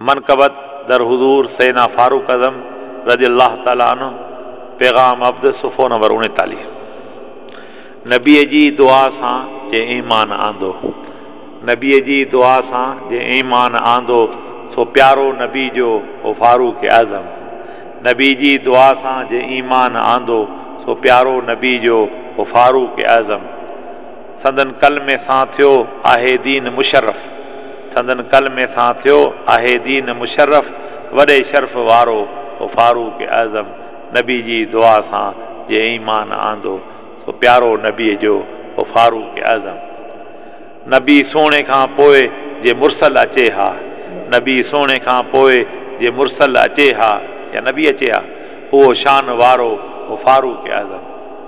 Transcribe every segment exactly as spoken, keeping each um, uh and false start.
منقبت در حضور سيدنا فاروق اعظم رضي الله تعالٰي عنه، پيغام عبد، صفحو نمبر اوڻيتاليهه. نبيء جي دعا سان جنهن ايمان آندو، نبيء جي دعا سان جنهن ايمان آندو، سو پيارو نبي جو هو فاروق اعظم. نبي جي دعا سان جنهن ايمان آندو، سو پيارو نبي جو هو فاروق اعظم. سندن ڪلمي سان ٿيو آهي دين مشرف، سندن ڪلمي سان ٿيو آهي دين مشرف، وڏي شرف وارو هو فاروق اعظم. نبي جي دعا سان جنهن ايمان آندو، سو پيارو نبي جو هو فاروق اعظم. نبي سهڻي کان پوءِ جي مرسل اچي ها، نبي سهڻي کان پوءِ جي مرسل اچي ها يا نبي اچي ها، اهو شان وارو هو فاروق اعظم،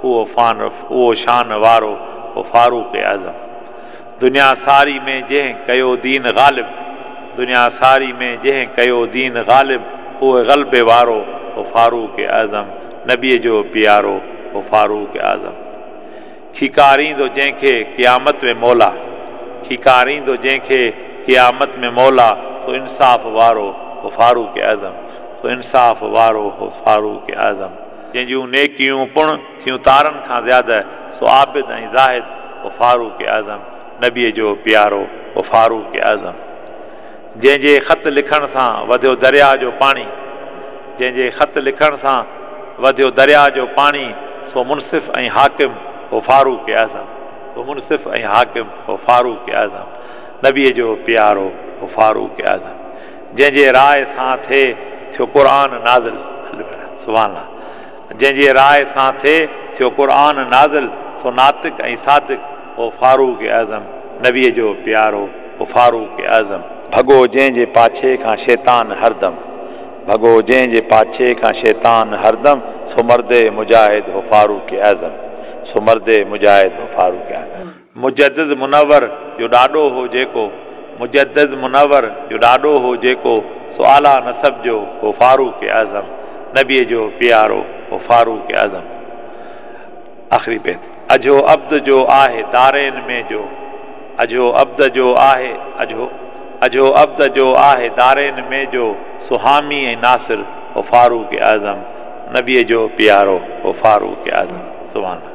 اهو فان اهو شان وارو هو فاروق اعظم. دنيا ساري ۾ جنهن ڪيو دين غالب، دنيا ساري ۾ جنهن ڪيو دين غالب، اهو غلبي وارو هو فاروق اعظم. نبيءَ جو پيارو هو فاروق اعظم. کيڪاريندو جنهن کي قيامت ۾ مولا، کيڪاريندو جنهن کي قيامت ۾ مولا، سو انصاف وارو هو فاروق اعظم، سو انصاف وارو هو فاروق اعظم. جنهن جون نيڪيون پڻ ٿيون تارن کان زياده، سو عابد ۽ زاهد هو فاروق اعظم. نبيءَ جو پيارو هو فاروق اعظم. جنهن جي خط لکڻ سان وڌيو دريا جو پاڻي، جنهن جي خط لکڻ سان وڌيو دريا جو پاڻي، سو منصف ۽ حاڪم هو فاروق اعظم، سو منصف ۽ حاڪم هو فاروق اعظم. نبيءَ جو پيارو هو فاروق اعظم. جنهن جي راءِ سان ٿئي ٿيو قرآن نازل، سبحان الله، جنهن جي راءِ سان ٿئي ٿيو قرآن نازل، سو ناطق ۽ صادق هو فاروق اعظم. نبيءَ جو پيارو هو فاروق اعظم. ڀڳو جنهن جي پاڇي کان شيطان هردم، ڀڳو جنهن جي پاڇي کان شيطان هردم، سو مرد مجاهد هو فاروق اعظم، سو مرد مجاهد هو فاروق اعظم. مجدد منور جو ڏاڏو هو جيڪو، مجدد منور جو ڏاڏو هو جيڪو، سو اعليٰ نسب جو هو فاروق اعظم. نبيءَ جو پيارو هو فاروق اعظم. آخري بيت. اجهو عبد جو آهي دارين ۾ جو، اجهو عبد جو آهي اجهو اجهو عبد جو آهي دارين ۾ جو، سو حامي ۽ ناصر هو فاروق اعظم. نبيءَ جو پيارو هو فاروق اعظم. سبحان الله.